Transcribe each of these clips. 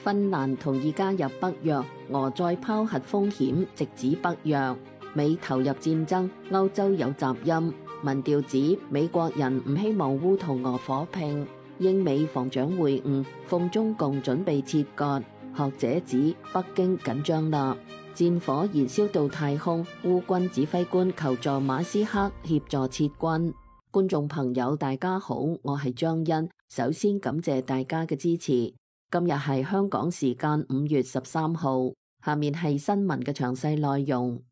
芬蘭同意加入北約，俄再拋核風險，直指北約。美投入戰爭，歐洲有雜音。民調指美國人唔希望烏同俄火拼。英美防長會晤，奉中共準備切割。學者指北京緊張啦，戰火燃燒到太空，烏軍指揮官求助馬斯克協助撤軍。觀眾朋友大家好，我係張欣，首先感謝大家嘅支持。今日係香港時間5月13號，下面係新聞嘅詳細內容。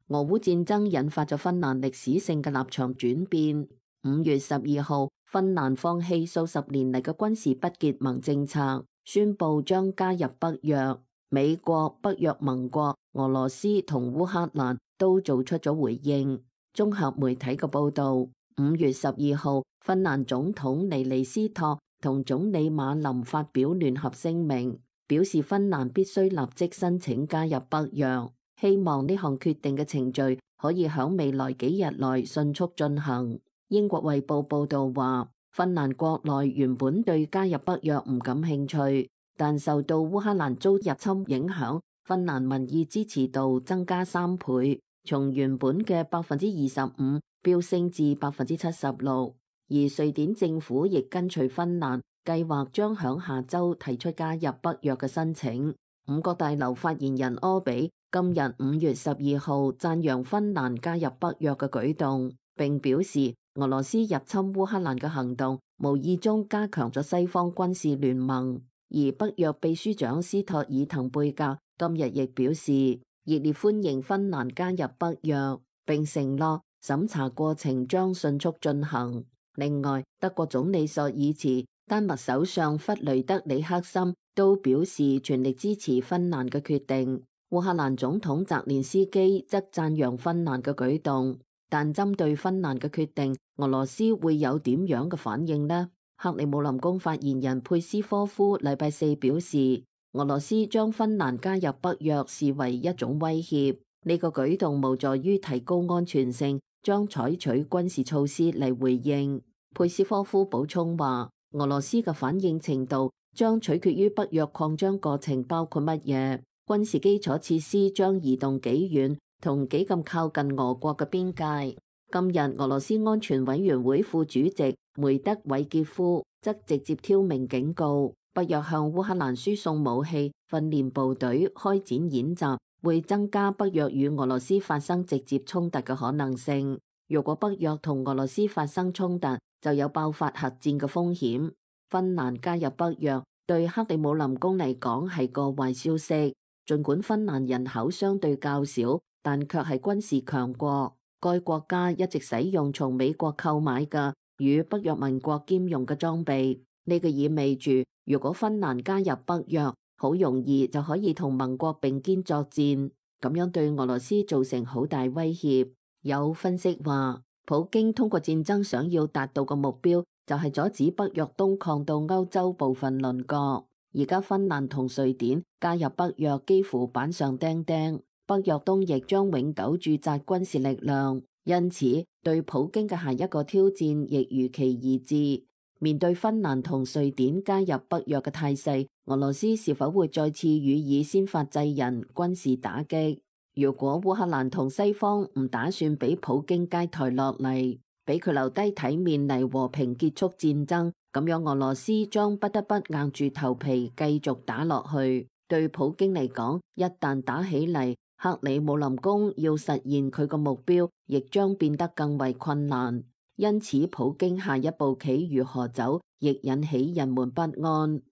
俄烏戰爭引發咗芬蘭歷史性嘅立場轉變。5月12號，芬蘭放棄數十年嚟嘅軍事不結盟政策，宣布將加入北約。美國、北約盟國、俄羅斯同烏克蘭都做出咗回應。綜合媒體嘅報導，5月12號，芬蘭總統尼尼斯托同總理馬林發表聯合聲明，表示芬蘭必須立即申請加入北約，希望呢項決定嘅程序可以喺未來幾日內迅速進行。英國衛報報導話，芬蘭國內原本對加入北約唔感興趣，但受到烏克蘭遭入侵影響，芬蘭民意支持度增加3倍，從原本嘅25%飆升至76%。而瑞典政府亦跟隨芬蘭，計劃將響下週提出加入北約嘅申請。五角大樓發言人柯比今日5月12號讚揚芬蘭加入北約嘅舉動，並表示俄羅斯入侵烏克蘭嘅行動無意中加強咗西方軍事聯盟。而北約秘書長斯托爾滕貝格今日亦表示熱烈歡迎芬蘭加入北約，並承諾審查過程將迅速進行。另外，德國總理朔爾茨、丹麥首相弗雷德里克森都表示全力支持芬蘭嘅決定。烏克蘭總統澤連斯基則讚揚芬蘭嘅舉動，但針對芬蘭嘅決定，俄羅斯會有點樣嘅反應呢？克里姆林宮發言人佩斯科夫禮拜四表示，俄羅斯將芬蘭加入北約視為一種威脅，呢個舉動無助於提高安全性，將採取軍事措施嚟回應。佩斯科夫補充話，俄羅斯嘅反應程度將取決於北約擴張過程包括乜嘢，軍事基礎設施將移動幾遠同幾咁靠近俄國嘅邊界。今日俄羅斯安全委員會副主席梅德韋傑夫則直接挑明警告，北約向烏克蘭輸送武器、訓練部隊、開展演習，會增加北約與俄羅斯發生直接衝突嘅可能性。如果北約同俄羅斯發生衝突，就有爆發核戰嘅風險。芬蘭加入北約對克里姆林宮嚟講係個壞消息，儘管芬蘭人口相對較少，但卻係軍事強國。該國家一直使用從美國購買嘅與北約盟國兼用嘅裝備，呢個意味住如果芬蘭加入北約，好容易就可以同盟國並肩作戰，咁樣對俄羅斯造成好大威脅。有分析話，普京通過戰爭想要達到嘅目標就係阻止北約東擴到歐洲部分鄰國。而家芬蘭同瑞典加入北約幾乎板上釘釘，北約東亦將永久駐紮軍事力量，因此對普京嘅下一個挑戰亦如期而至。面對芬蘭同瑞典加入北約嘅態勢，俄羅斯是否會再次予以先發制人軍事打擊？如果烏克蘭同西方唔打算俾普京階台落嚟，俾佢留低體面嚟和平結束戰爭，咁樣俄羅斯將不得不硬住頭皮繼續打落去。對普京嚟講，一旦打起嚟，克里姆林宮要實現佢個目標，亦將變得更為困難。因此，普京下一步棋如何走，亦引起人們不安。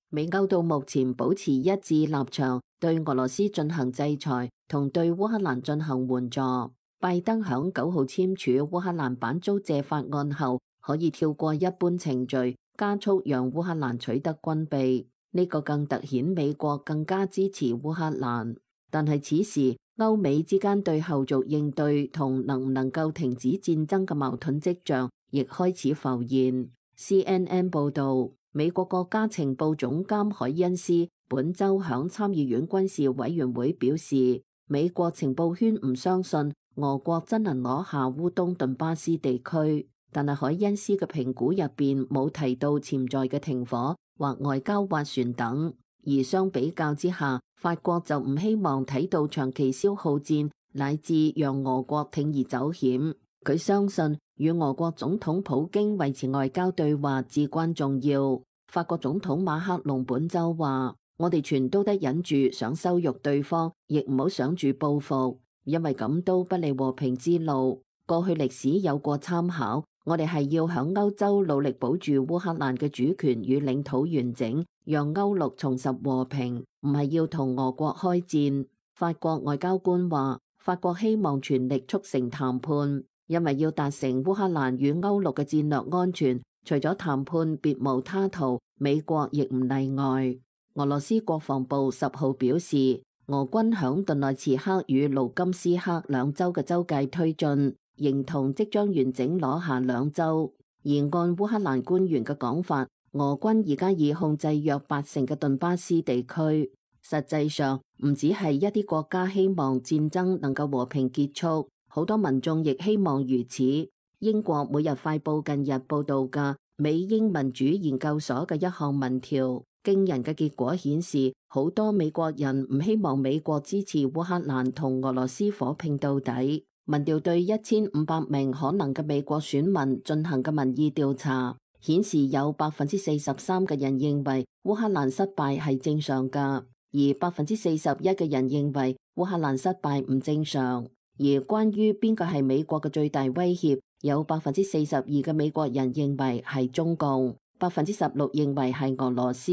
美歐到目前保持一致立場，對俄羅斯進行制裁，同對烏克蘭進行援助。拜登響9號簽署烏克蘭版租借法案後，可以跳過一般程序，加速讓烏克蘭取得軍備。呢個更凸顯美國更加支持烏克蘭。但係此時，歐美之間對後續應對同能唔能夠停止戰爭嘅矛盾跡象，亦開始浮現。CNN 報導，美國國家情報總監海恩斯本週響參議院軍事委員會表示，美國情報圈唔相信俄國真能攞下烏東頓巴斯地區。但係海恩斯嘅評估入邊冇提到潛在嘅停火或外交斡旋等。而相比較之下，法國就唔希望睇到長期消耗戰，乃至讓俄國鋌而走險。佢相信與俄國總統普京維持外交對話至關重要。法國總統馬克龍本週話：我哋全都得忍住想羞辱對方，亦唔好想住報復，因為咁都不利和平之路。過去歷史有過參考，我哋係要響歐洲努力保住烏克蘭嘅主權與領土完整，讓歐陸重拾和平，唔係要同俄國開戰。法國外交官話：法國希望全力促成談判，因為要達成烏克蘭與歐陸嘅戰略安全，除咗談判別無他途，美國亦唔例外。俄羅斯國防部10號表示，俄軍響頓內茨克與盧甘斯克兩州嘅州界推進，形同即將完整攞下兩州。而按烏克蘭官員嘅講法，俄軍而家已控制約80%嘅頓巴斯地區。實際上，唔只係一啲國家希望戰爭能夠和平結束，好多民眾亦希望如此。英國每日快報近日報道嘅美英民主研究所嘅一項民調，驚人嘅結果顯示，好多美國人唔希望美國支持烏克蘭同俄羅斯火拼到底。民調對1500名可能嘅美國選民進行嘅民意調查，顯示有43%嘅人認為烏克蘭失敗係正常㗎，而41%嘅人認為烏克蘭失敗唔正常。而關於邊個係美國嘅最大威脅，有42%嘅美國人認為係中共，16%認為係俄羅斯，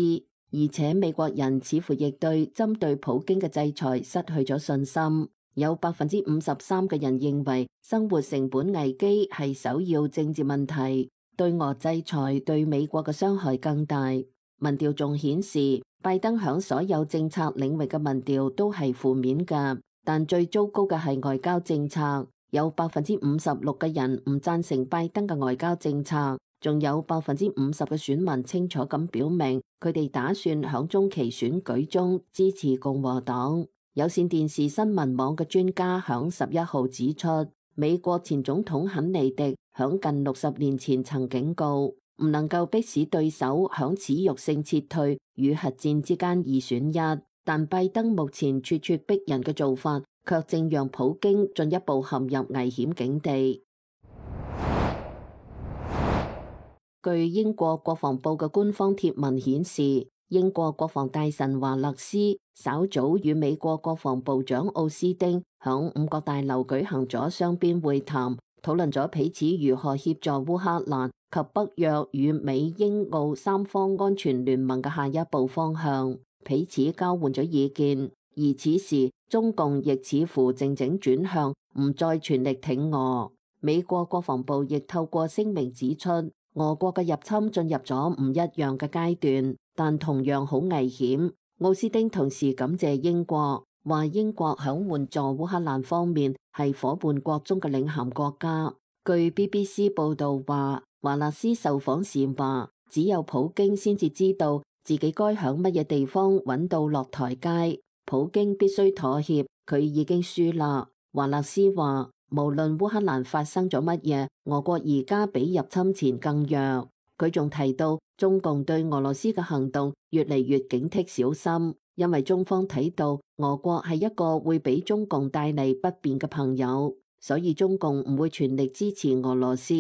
而且美國人似乎亦對針對普京嘅制裁失去咗信心。有53%嘅人認為生活成本危機係首要政治問題，對俄制裁對美國嘅傷害更大。民調仲顯示，拜登響所有政策領域嘅民調都係負面㗎，但最糟糕嘅係外交政策，有56%嘅人唔贊成拜登嘅外交政策，仲有50%嘅選民清楚咁表明佢哋打算響中期選舉中支持共和黨。有線電視新聞網嘅專家響11號指出，美國前總統肯尼迪響近60年前曾警告，唔能夠迫使對手響恥辱性撤退與核戰之間二選一，但拜登目前咄咄逼人嘅做法，卻正讓普京進一步陷入危險境地。據英國國防部嘅官方貼文顯示，英國國防大臣華勒斯稍早與美國國防部長奧斯丁響五角大樓舉行咗雙邊會談，討論咗彼此如何協助烏克蘭及北約與美英澳三方安全聯盟嘅下一步方向，彼此交換咗意見。而此時，中共亦似乎靜靜轉向，唔再全力挺俄。美國國防部亦透過聲明指出，俄國嘅入侵進入咗唔一樣嘅階段，但同樣好危險。奧斯丁同時感謝英國，話英國響援助烏克蘭方面係夥伴國中嘅領銜國家。據 BBC 報道話，華勒斯受訪時話，只有普京先至知道自己該響乜嘢地方揾到落台階，普京必須妥協，佢已經輸啦。華勒斯話，無論烏克蘭發生咗乜嘢，俄國而家比入侵前更弱。佢仲提到，中共對俄羅斯嘅行動越嚟越警惕小心，因為中方睇到俄國係一個會俾中共帶嚟不便嘅朋友，所以中共唔會全力支持俄羅斯。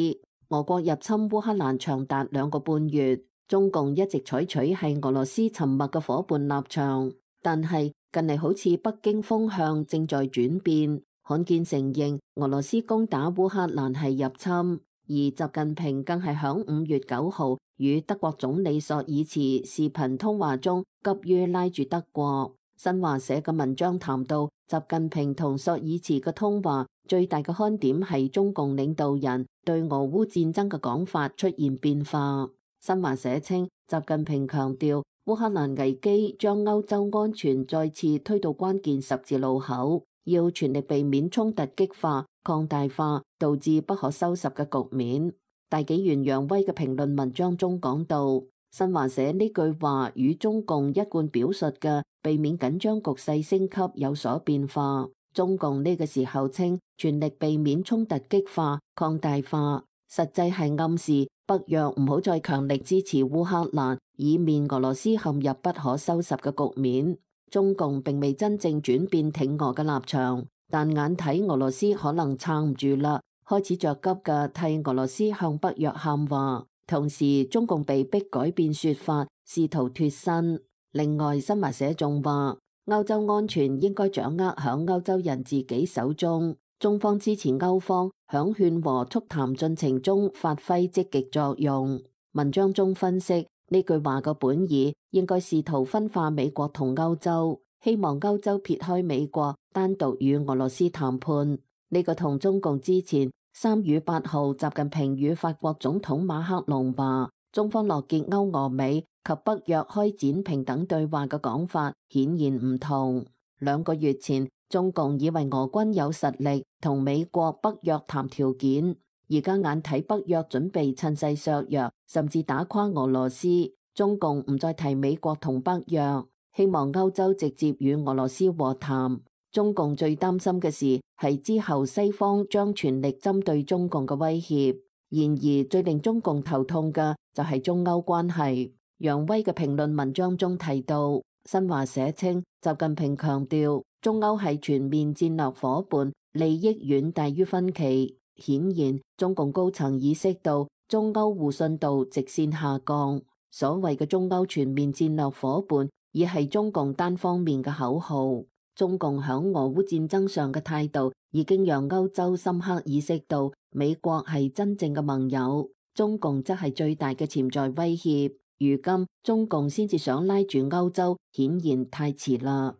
俄國入侵烏克蘭長達2個半月，中共一直採取係俄羅斯沉默嘅夥伴立場，但係近嚟好似北京風向正在轉變，罕見承認俄羅斯攻打烏克蘭係入侵。而習近平更係響5月9號與德國總理朔爾茨視頻通話中急於拉住德國。新華社嘅文章談到，習近平同朔爾茨嘅通話最大嘅看點係中共領導人對俄烏戰爭嘅講法出現變化。新華社稱，習近平強調烏克蘭危機將歐洲安全再次推到關鍵十字路口，要全力避免衝突激化、擴大化，導致不可收拾嘅局面。大紀元揚威嘅評論文章中講到，新華社呢句話與中共一貫表述嘅避免緊張局勢升級有所變化。中共呢個時候稱全力避免衝突激化、擴大化，實際係暗示北約唔好再強力支持烏克蘭，以免俄羅斯陷入不可收拾嘅局面。中共並未真正轉變挺俄嘅立場，但眼睇俄羅斯可能撐唔住啦，開始着急嘅替俄羅斯向北約喊話。同時，中共被迫改變說法，試圖脫身。另外，新華社仲話，歐洲安全應該掌握響歐洲人自己手中。中方支持歐方響勸和促談進程中發揮積極作用。文章中分析，呢句話嘅本意應該試圖分化美國同歐洲，希望歐洲撇開美國，單獨與俄羅斯談判。呢個同中共之前3月8號習近平與法國總統馬克龍話中方樂見歐俄美及北約開展平等對話嘅講法顯然唔同。2個月前，中共以為俄軍有實力同美國北約談條件，而家眼睇北約準備趁勢削弱甚至打垮俄羅斯，中共唔再提美國同北約，希望歐洲直接與俄羅斯和談。中共最擔心嘅事係之後西方將全力針對中共嘅威脅。然而最令中共頭痛嘅就係中歐關係。楊威嘅評論文章中提到，新華社稱習近平強調中歐係全面戰略夥伴，利益遠大於分歧。顯然中共高層意識到中歐互信度直線下降。所謂嘅中歐全面戰略夥伴已係中共單方面嘅口號。中共響俄烏戰爭上嘅態度已經讓歐洲深刻意識到美國係真正嘅盟友，中共則係最大嘅潛在威脅。如今中共先至想拉住歐洲，顯然太遲啦。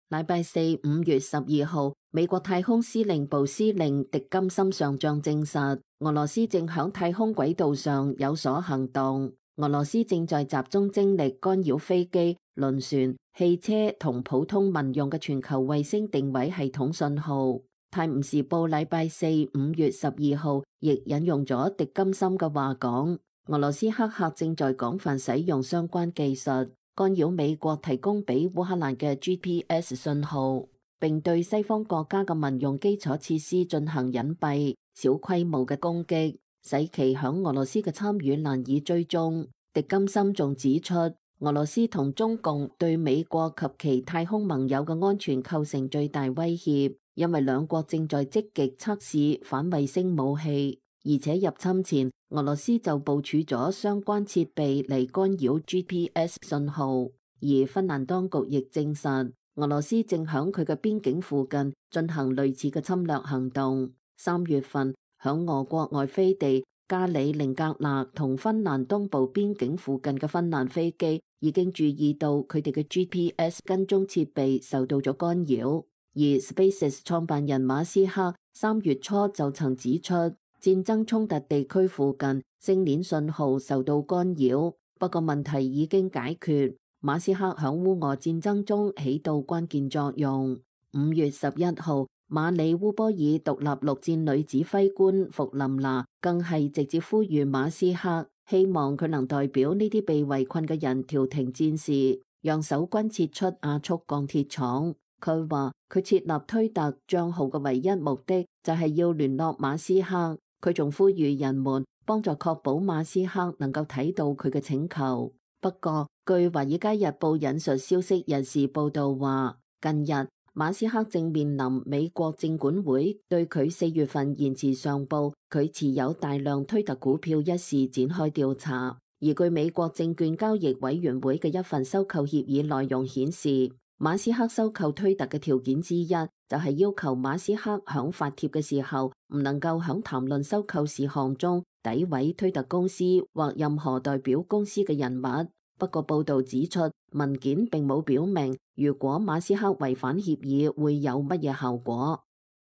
禮拜四5月12號，美國太空司令部司令狄金森上將證實，俄羅斯正響太空軌道上有所行動。俄羅斯正在集中精力干擾飛機、輪船、汽車同普通民用嘅全球衛星定位系統信號。泰晤士報禮拜四5月12號亦引用咗狄金森嘅話講，俄羅斯黑客正在廣泛使用相關技術，干擾美國提供俾烏克蘭嘅 GPS 信號，並對西方國家嘅民用基礎設施進行隱蔽、小規模嘅攻擊，使其響俄羅斯嘅參與難以追蹤。狄金森仲指出，俄羅斯同中共對美國及其太空盟友嘅安全構成最大威脅，因為兩國正在積極測試反衛星武器，而且入侵前俄羅斯就部署咗相關設備嚟干擾 GPS 信號。而芬蘭當局亦證實，俄羅斯正響佢嘅邊境附近進行類似嘅侵略行動。3月份，響俄國外飛地加里寧格勒同芬蘭東部邊境附近嘅芬蘭飛機已經注意到佢哋嘅 GPS 跟蹤設備受到咗干擾，而 SpaceX 創辦人馬斯克3月初就曾指出，戰爭衝突地區附近星鏈信號受到干擾，不過問題已經解決。馬斯克響烏俄戰爭中起到關鍵作用。5月11號，馬里烏波爾獨立陸戰旅指揮官弗林拿更係直接呼籲馬斯克，希望佢能代表呢啲被圍困嘅人調停戰事，讓守軍撤出亞速鋼鐵廠。佢話佢設立推特賬號嘅唯一目的就係要聯絡馬斯克。佢仲呼籲人們幫助確保馬斯克能夠睇到佢嘅請求。不過，據《華爾街日報》引述消息人士報道話，近日馬斯克正面臨美國證管會對佢4月份延遲上報佢持有大量推特股票一事展開調查。而據美國證券交易委員會嘅一份收購協議內容顯示，馬斯克收購推特嘅條件之一就係要求馬斯克響發帖嘅時候唔能夠響談論收購事項中詆毀推特公司或任何代表公司嘅人物。不過報道指出，文件並冇表明如果馬斯克違反協議會有乜嘢後果。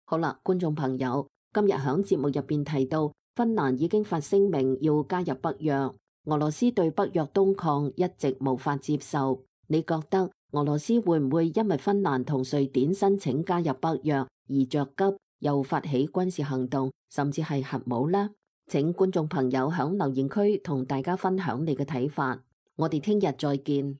好啦，觀眾朋友，今日響節目入邊提到，芬蘭已經發聲明要加入北約，俄羅斯對北約東擴一直無法接受。你覺得俄羅斯會唔會因為芬蘭同瑞典申請加入北約而着急，又發起軍事行動，甚至係核武呢？請觀眾朋友響留言區同大家分享你嘅睇法。我哋聽日再見。